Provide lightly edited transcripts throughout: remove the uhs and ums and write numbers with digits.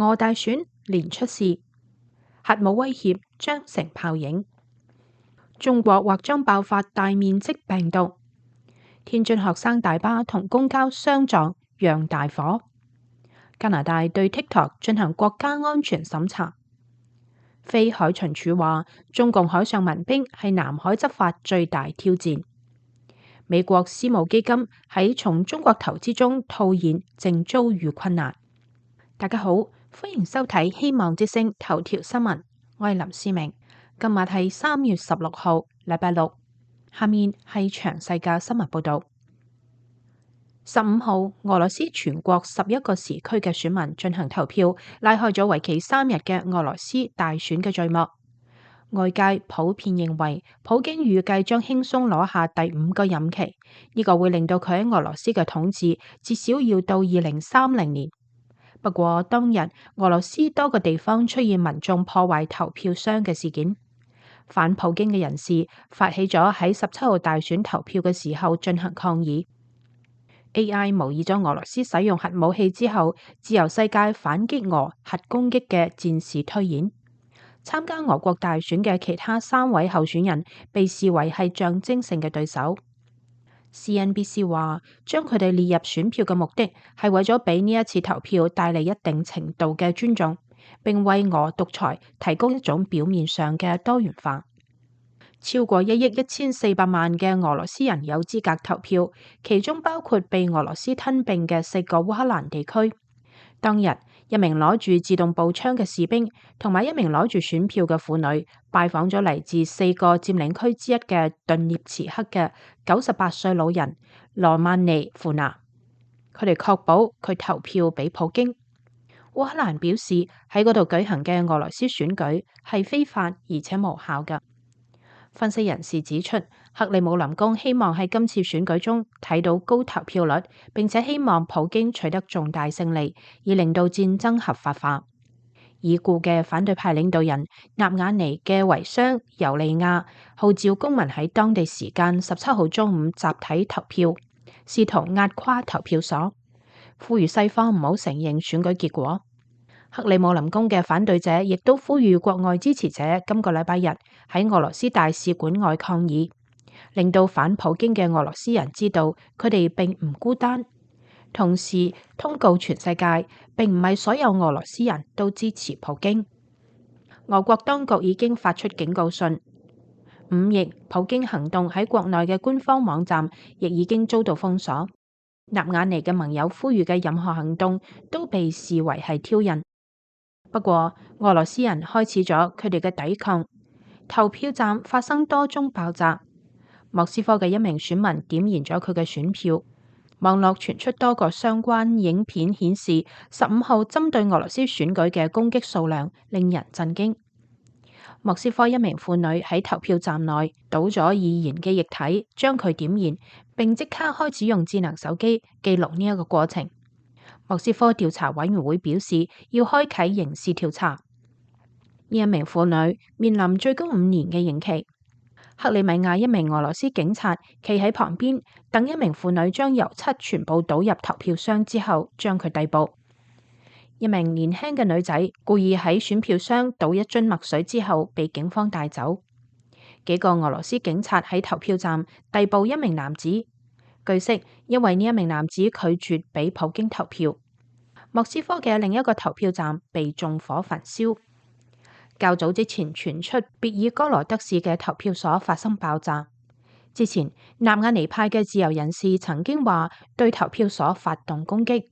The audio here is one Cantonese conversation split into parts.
俄大選連出事，核武威脅將成泡影。中國或將爆發大面積病毒。天津學生大巴同公交相撞，釀大火。加拿大對 TikTok 進行國家安全審查。非海巡署話，中共海上民兵係南海執法最大挑戰。美國私募基金喺從中國投資中套現，正遭遇困難。大家好，歡迎收睇希望之聲頭條新聞，我係林思明。今日係3月16號，禮拜六。下面係詳細嘅新聞報道。15號，俄羅斯全國11個時區嘅選民進行投票，拉開咗為期3日嘅俄羅斯大選嘅序幕。外界普遍認為，普京預計將輕鬆攞下第5個任期，呢個會令到佢喺俄羅斯嘅統治至少要到2030年。不過當日俄羅斯多個地方出現民眾破壞投票箱嘅事件，反普京嘅人士發起咗喺17號大選投票嘅時候進行抗議。AI 模擬咗俄羅斯使用核武器之後，自由世界反擊俄核攻擊嘅戰事推演。參加俄國大選嘅其他3位候選人被視為係象徵性嘅對手。CNBC 話，將佢哋列入選票嘅目的係為咗俾呢一次投票帶嚟一定程度嘅尊重，並為俄獨裁提供一種表面上嘅多元化。超過1億1400萬嘅俄羅斯人有資格投票，其中包括被俄羅斯吞併嘅4個烏克蘭地區。當日，一名攞住自動步槍嘅士兵同埋一名攞住選票嘅婦女拜訪咗嚟自4個佔領區之一嘅頓涅茨克嘅98歲老人羅曼尼夫娜，佢哋確保佢投票俾普京。烏克蘭表示喺嗰度舉行嘅俄羅斯選舉係非法而且無效嘅。分析人士指出，克里姆林宮希望喺今次選舉中睇到高投票率，並且希望普京取得重大勝利，以令到戰爭合法化。已故嘅反對派領導人納瓦尼嘅遺孀尤利亞號召公民喺當地時間17號中午集體投票，試圖壓垮投票所，呼籲西方唔好承認選舉結果。克里姆林宮嘅反對者亦都呼籲國外支持者今個禮拜日喺俄羅斯大使館外抗議，令到反普京嘅俄羅斯人知道佢哋並唔孤單，同時通告全世界，並唔係所有俄羅斯人都支持普京。俄國當局已經發出警告信，5億普京行動喺國內嘅官方網站亦已經遭到封鎖。納瓦尼嘅盟友呼籲嘅任何行動都被視為係挑釁。不過，俄羅斯人開始咗佢哋嘅抵抗，投票站發生多宗爆炸。莫斯科嘅一名選民點燃咗佢嘅選票。網絡傳出多個相關影片，顯示15號針對俄羅斯選舉嘅攻擊數量令人震驚。莫斯科一名婦女喺投票站內倒咗易燃嘅液體，將佢點燃，並即刻開始用智能手機記錄呢一個過程。莫斯科調查委員會表示要開啟刑事調查。呢一名婦女面臨最高5年嘅刑期。克里米亞一名俄羅斯警察企喺旁邊，等一名婦女將油漆全部倒入投票箱之後，將佢逮捕。一名年輕嘅女仔故意喺選票箱倒一樽墨水之後，被警方帶走。幾個俄羅斯警察喺投票站逮捕一名男子。據悉，因為呢一名男子拒絕俾普京投票。莫斯科嘅另一個投票站被縱火焚燒。較早之前傳出別爾哥羅德市嘅投票所發生爆炸。之前納瓦尼派嘅自由人士曾經話對投票所發動攻擊。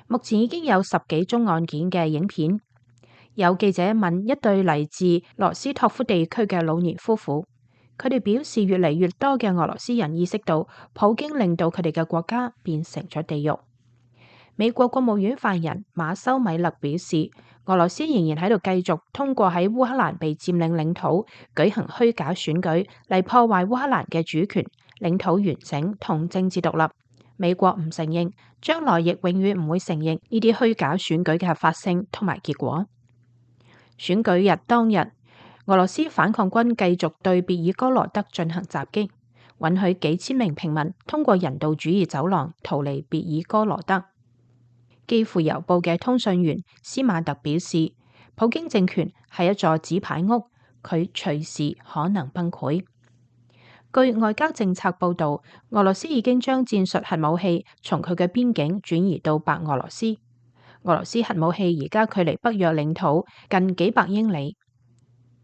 目前已經有10幾宗案件嘅影片。有記者問一對嚟自羅斯托夫地區嘅老年夫婦，佢哋表示越嚟越多嘅俄羅斯人意識到普京令到佢哋嘅國家變成咗地獄。美國國務院發言人馬修米勒表示，俄羅斯仍然喺度繼續通過喺烏克蘭被佔領領土舉行虛假選舉嚟破壞烏克蘭嘅主權、領土完整同政治獨立。美國唔承認，將來亦永遠唔會承認呢啲虛假選舉嘅合法性同埋結果。選舉日當日，俄羅斯反抗軍繼續對別爾哥羅德進行襲擊，允許幾千名平民通過人道主義走廊逃離別爾哥羅德。基輔郵報嘅通訊員斯馬特表示，普京政權係一座紙牌屋，佢隨時可能崩潰。據外交政策報導，俄羅斯已經將戰術核武器從佢嘅邊境轉移到白俄羅斯。俄羅斯核武器而家距離北約領土近幾百英里。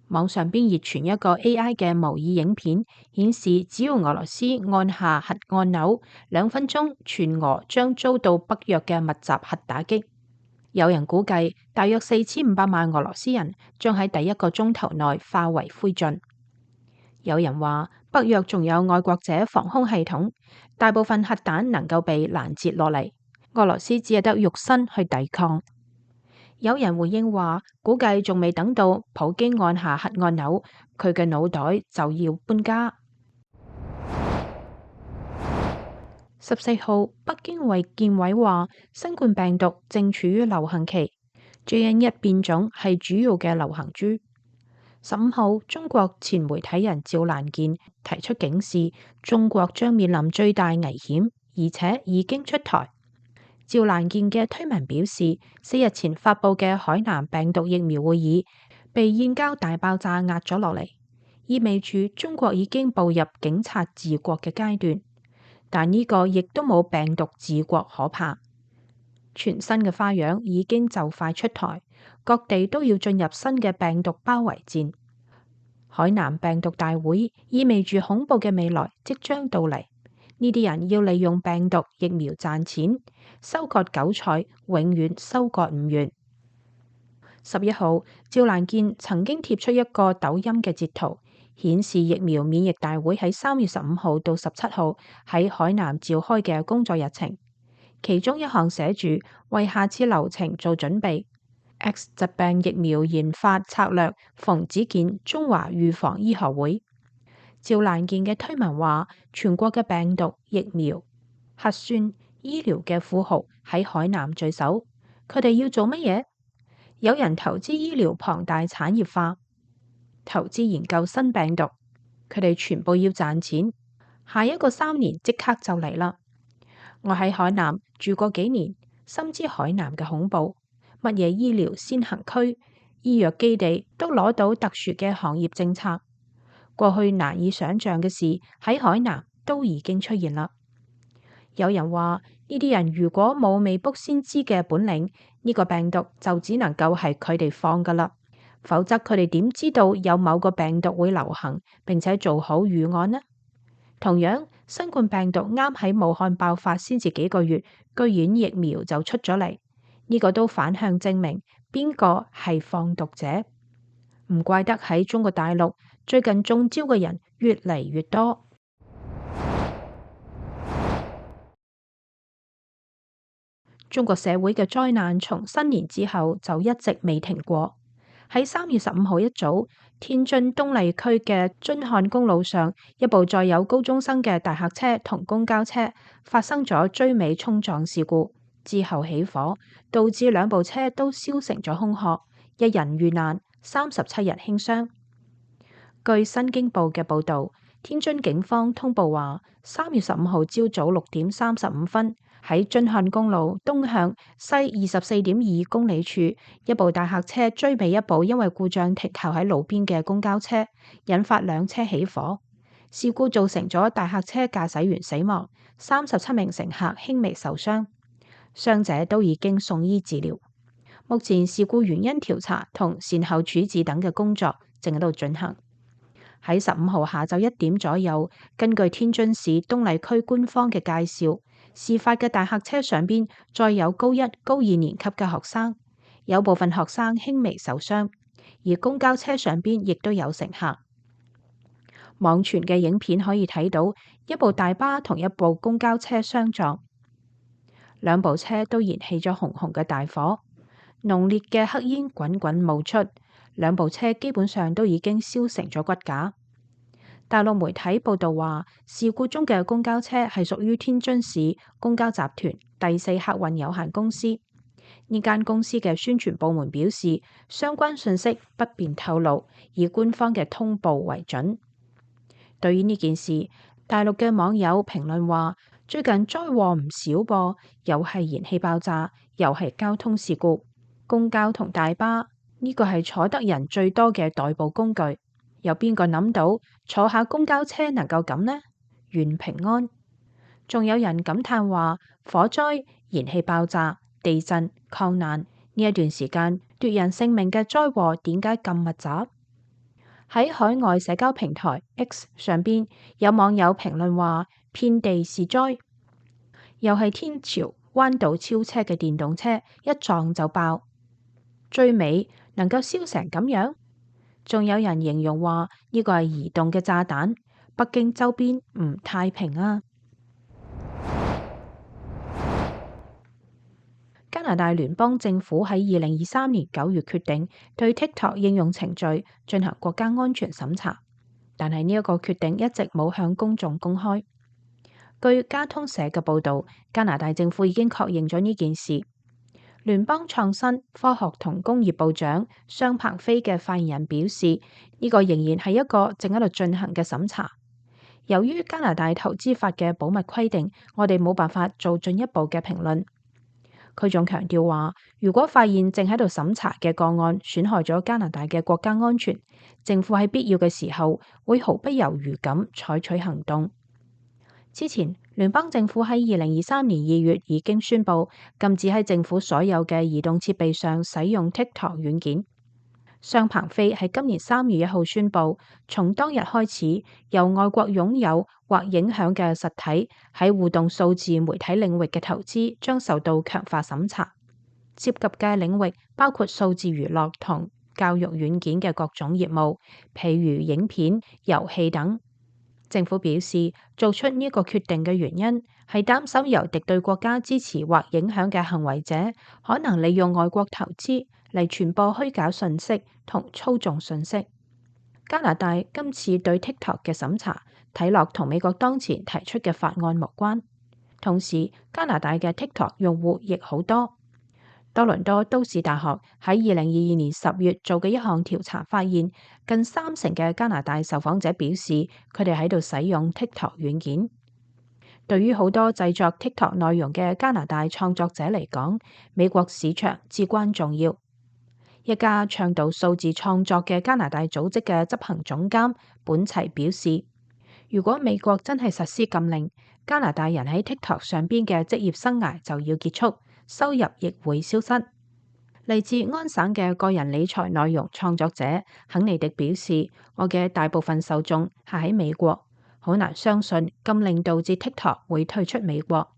網上邊熱傳一個 AI 嘅模擬影片，顯示只要俄羅斯按下核按鈕，2分鐘，全俄將遭到北約嘅密集核打擊。有人估計，大約4500萬俄羅斯人將喺第1個鐘頭內化為灰燼。有人話，北約仲有愛國者防空系統，大部分核彈能夠被攔截落嚟，俄羅斯只係得肉身去抵抗。有人回應話，估計仲未等到普京按下核按鈕，佢嘅腦袋就要搬家。14號，北京衛健委話，新冠病毒正處於流行期，JN.1變種係主要嘅流行株。15號，中國前媒體人趙蘭健提出警示，中國將面臨最大危險，而且已經出台。趙蘭健嘅推文表示，4日前發佈嘅海南病毒疫苗會議被燕郊大爆炸壓咗落嚟，意味住中國已經步入警察治國嘅階段。但呢個亦都冇病毒治國可怕。全新嘅花樣已經就快出台，各地都要進入新嘅病毒包圍戰。海南病毒大會意味住恐怖嘅未來即將到嚟。呢啲人要利用病毒疫苗賺錢，收割韭菜永遠收割唔完。11號，趙蘭健曾經貼出一個抖音嘅截圖，顯示疫苗免疫大會喺3月15號到17號喺海南召開嘅工作日程，其中一項寫住為下次流程做準備。X 疾病疫苗研發策略馮子健中華預防醫學會。趙蘭健嘅推文話，全國嘅病毒疫苗、核酸、醫療嘅富豪喺海南聚首，佢哋要做乜嘢？有人投資醫療龐大產業化，投資研究新病毒，佢哋全部要賺錢。下一個3年即刻就嚟啦！我喺海南住過幾年，深知海南嘅恐怖。乜嘢醫療先行區、醫藥基地都攞到特殊嘅行業政策，過去難以想象嘅事喺海南都已經出現啦。有人話，呢啲人如果冇未卜先知嘅本領，呢個病毒就只能夠係佢哋放噶啦，否則佢哋點知道有某個病毒會流行，並且做好預案呢？同樣，新冠病毒啱喺武漢爆發先至幾個月，居然疫苗就出咗嚟，呢個都反向證明邊個係放毒者。唔怪得喺中國大陸最近中招嘅人越嚟越多。中國社會嘅災難從新年之後就一直未停過。喺3月15號一早，天津東麗區嘅津漢公路上，一部載有高中生嘅大客車同公交車發生咗追尾衝撞事故，之後起火，導致兩部車都燒成咗空殼，一人遇難，37人輕傷。據新京報嘅報導，天津警方通報話，3月15號朝早6點35分，喺津漢公路東向西24.2公里處，一部大客車追尾一部因為故障停靠喺路邊嘅公交車，引發兩車起火。事故造成咗大客車駕駛員死亡，37名乘客輕微受傷，傷者都已經送醫治療。目前事故原因調查同善後處置等嘅工作正喺度進行。喺15號下晝1點左右，根據天津市東麗區官方嘅介紹，事發嘅大客車上邊載有高1、高2年級嘅學生，有部分學生輕微受傷，而公交車上邊亦都有乘客。網傳嘅影片可以睇到一部大巴同一部公交車相撞，兩部車都燃起咗紅紅嘅大火，濃烈嘅黑煙滾滾冒出，兩部車基本上都已經燒成咗骨架。大陸媒體報道話，事故中嘅公交車係屬於天津市公交集團第4客運有限公司。呢間公司嘅宣傳部門表示，相關信息不便透露，以官方嘅通報為準。對於呢件事，大陸嘅網友評論話，最近災禍唔少噃，又係燃氣爆炸，又係交通事故。公交同大巴呢個係坐得人最多嘅代步工具，有邊個諗到坐下公交車能夠咁呢？願平安。仲有人感嘆話，火災、燃氣爆炸、地震、抗難呢一段時間奪人性命嘅災禍點解咁密集？喺海外社交平台 X 上邊，有網友評論話，遍地是災，又係天朝彎道超車嘅電動車一撞就爆，最尾能夠燒成咁樣。仲有人形容話呢個係移動嘅炸彈，北京周邊唔太平啊。加拿大聯邦政府喺2023年9月決定對 TikTok 應用程序進行國家安全審查，但係呢一個決定一直冇向公眾公開。據加通社嘅報導，加拿大政府已經確認咗呢件事。聯邦創新、科學同工業部長商鵬飛嘅發言人表示，呢個仍然係一個正喺度進行嘅審查。由於加拿大投資法嘅保密規定，我哋冇辦法做進一步嘅評論。佢仲強調話，如果發現正喺度審查嘅個案損害咗加拿大嘅國家安全，政府喺必要嘅時候會毫不猶豫咁採取行動。之前，聯邦政府喺2023年2月已經宣布禁止喺政府所有嘅移動設備上使用 TikTok 軟件。商鵬飛喺今年3月1號宣布，從當日開始，由外國擁有或影響嘅實體喺互動數字媒體領域嘅投資將受到強化審查，涉及嘅領域包括數字娛樂同教育軟件嘅各種業務，譬如影片、遊戲等。政府表示，做出呢個決定嘅原因係擔心由敵對國家支持或影響嘅行為者可能利用外國投資嚟傳播虛假信息同操縱信息。加拿大今次對 TikTok 嘅審查睇落同美國當前提出嘅法案無關，同時加拿大嘅 TikTok 用戶亦好多。多倫多都市大學喺2022年10月做嘅一項調查發現，近30%嘅加拿大受訪者表示佢哋喺度使用 TikTok 軟件。對於好多製作 TikTok 內容嘅加拿大創作者嚟講，美國市場至關重要。一家倡導數字創作嘅加拿大組織嘅執行總監本齊表示，如果美國真係實施禁令，加拿大人喺 TikTok 上邊嘅職業生涯就要結束，收入亦會消失。嚟自安省嘅個人理財內容創作者肯尼迪表示，我嘅大部分受眾係喺美國，好難相信禁令導致 TikTok 會退出美國。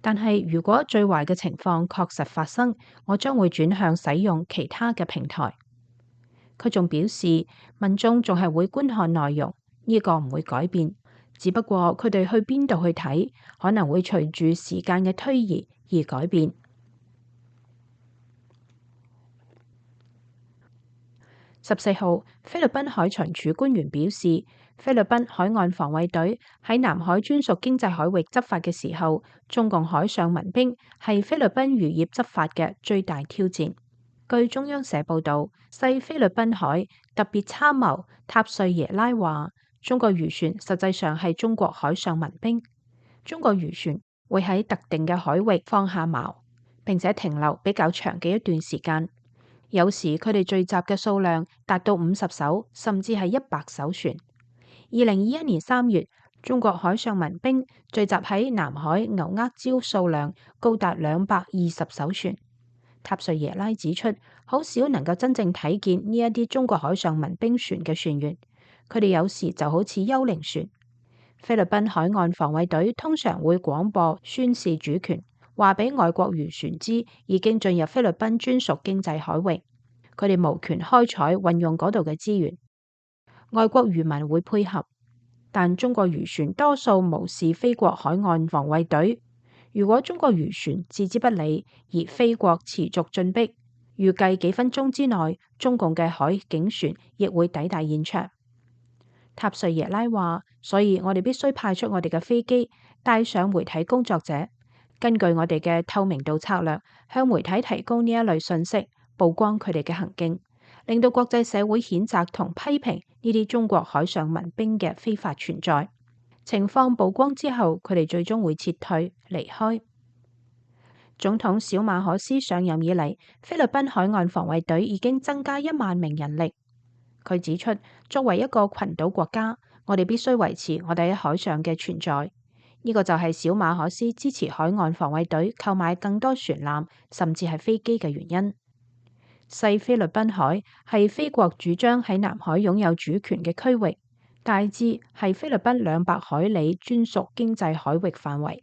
但係如果最壞嘅情況確實發生，我將會轉向使用其他嘅平台。佢仲表示，民眾仲係會觀看內容，呢個唔會改變，只不過佢哋去邊度去睇，可能會隨住時間嘅推移而改變。14號，菲律賓海巡署官員表示，菲律賓海岸防衛隊喺南海專屬經濟海域執法嘅時候，中共海上民兵係菲律賓漁業執法嘅最大挑戰。據中央社報導，西菲律賓海特別參謀塔瑞耶拉話，中國漁船實際上係中國海上民兵。中國漁船會喺特定嘅海域放下錨，並且停留比較長嘅一段時間。有時佢哋聚集嘅數量達到50艘，甚至係100艘船。2021年3月，中國海上民兵聚集喺南海牛軛礁數量高達220艘船。塔瑞耶拉指出，好少能夠真正睇見呢一啲中國海上民兵船嘅船員，佢哋有時就好似幽靈船。菲律賓海岸防衛隊通常會廣播宣示主權，話俾外國漁船知已經進入菲律賓專屬經濟海域，佢哋無權開採運用嗰度嘅資源。外國漁民會配合，但中國漁船多數無視菲國海岸防衛隊。如果中國漁船置之不理，而菲國持續進逼，預計幾分鐘之內，中共嘅海警船亦會抵達現場。塔瑞耶拉話，所以我哋必須派出我哋嘅飛機，帶上媒體工作者，根據我哋嘅透明度策略，向媒體提供呢一類信息，曝光佢哋嘅行徑，令到國際社會譴責同批評呢啲中國海上民兵嘅非法存在。情況曝光之後，佢哋最終會撤退離開。總統小馬可斯上任以嚟，菲律賓海岸防衛隊已經增加1萬名人力。佢指出，作為一個群島國家，我哋必須維持我哋喺海上嘅存在。呢個就係小馬可斯支持海岸防衛隊購買更多船艦，甚至係飛機嘅原因。西菲律賓海係菲國主張喺南海擁有主權嘅區域，大致係菲律賓200海里專屬經濟海域範圍。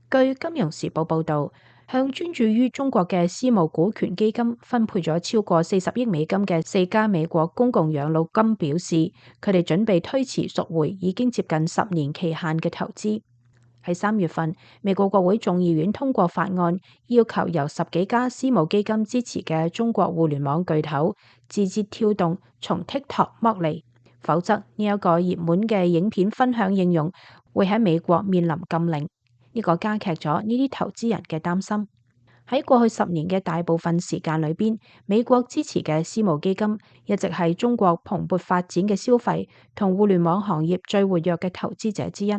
據《金融時報》報導，向專注於中國嘅私募股權基金分配咗超過40億美金嘅4家美國公共養老金表示，佢哋準備推遲贖回已經接近10年期限嘅投資。喺3月份，美國國會眾議院通過法案，要求由10幾家私募基金支持嘅中國互聯網巨頭字節跳動從 TikTok 剝離，否則呢一個熱門嘅影片分享應用會喺美國面臨禁令。呢個加劇咗呢啲投資人嘅擔心。喺過去10年嘅大部分時間裏邊，美國支持嘅私募基金一直係中國蓬勃發展嘅消費同互聯網行業最活躍嘅投資者之一。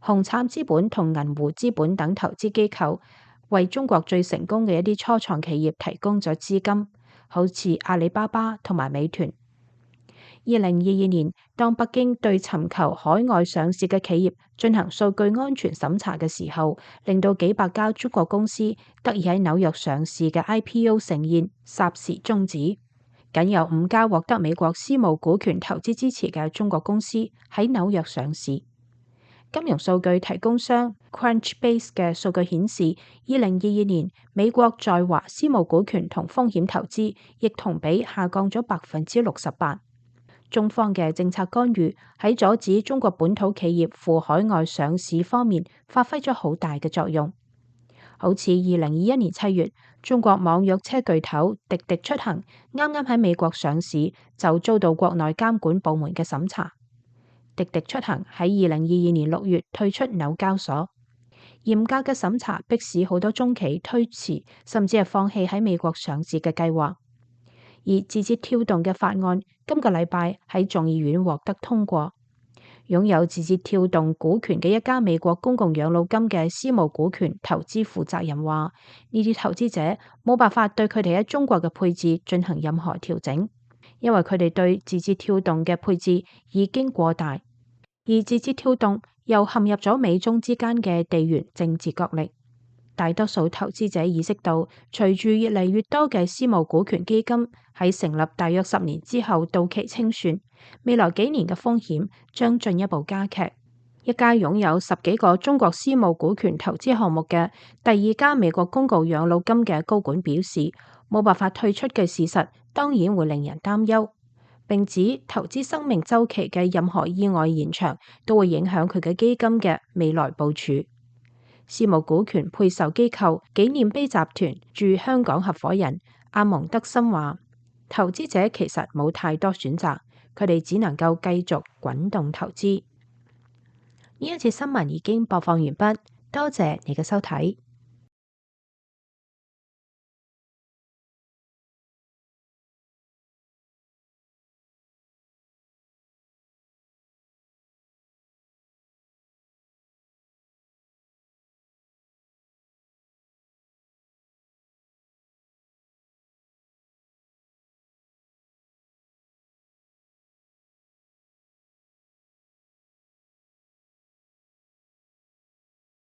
紅杉資本同銀湖資本等投資機構為中國最成功嘅一啲初創企業提供咗資金，好似阿里巴巴同埋美團。2022年，當北京對尋求海外上市嘅企業進行數據安全審查嘅時候，令到幾百家中國公司得以喺紐約上市嘅 IPO 盛宴霎時終止，僅有5家獲得美國私募股權投資支持嘅中國公司喺紐約上市。金融數據提供商 Crunchbase 嘅數據顯示，2022年美國在華私募股權同風險投資亦同比下降咗68%。中方嘅政策干預喺阻止中國本土企業赴海外上市方面發揮咗好大嘅作用。好似2021年7月，中國網約車巨頭滴滴出行啱啱喺美國上市，就遭到國內監管部門嘅審查。滴滴出行喺2022年6月退出紐交所，嚴格嘅審查迫使好多中企推遲，甚至係放棄喺美國上市嘅計劃。而字節跳動嘅法案今個禮拜喺眾議院獲得通過，擁有字節跳動股權嘅一家美國公共養老金嘅私募股權投資負責人話：呢啲投資者冇辦法對佢哋喺中國嘅配置進行任何調整，因為佢哋對字節跳動嘅配置已經過大，而字節跳動又陷入咗美中之間嘅地緣政治角力。大多數投資者意識到，隨住越嚟越多嘅私募股權基金喺成立大約10年之後到期清算，未來幾年嘅風險將進一步加劇。一家擁有10幾個中國私募股權投資項目嘅第2家美國公共養老金嘅高管表示，冇辦法退出嘅事實當然會令人擔憂，並指投資生命週期嘅任何意外延長都會影響佢嘅基金嘅未來部署。私募股權配售機構紀念碑集團駐香港合夥人阿蒙德森話：投資者其實冇太多選擇，佢哋只能夠繼續滾動投資。呢一節新聞已經播放完畢，多謝你嘅收睇。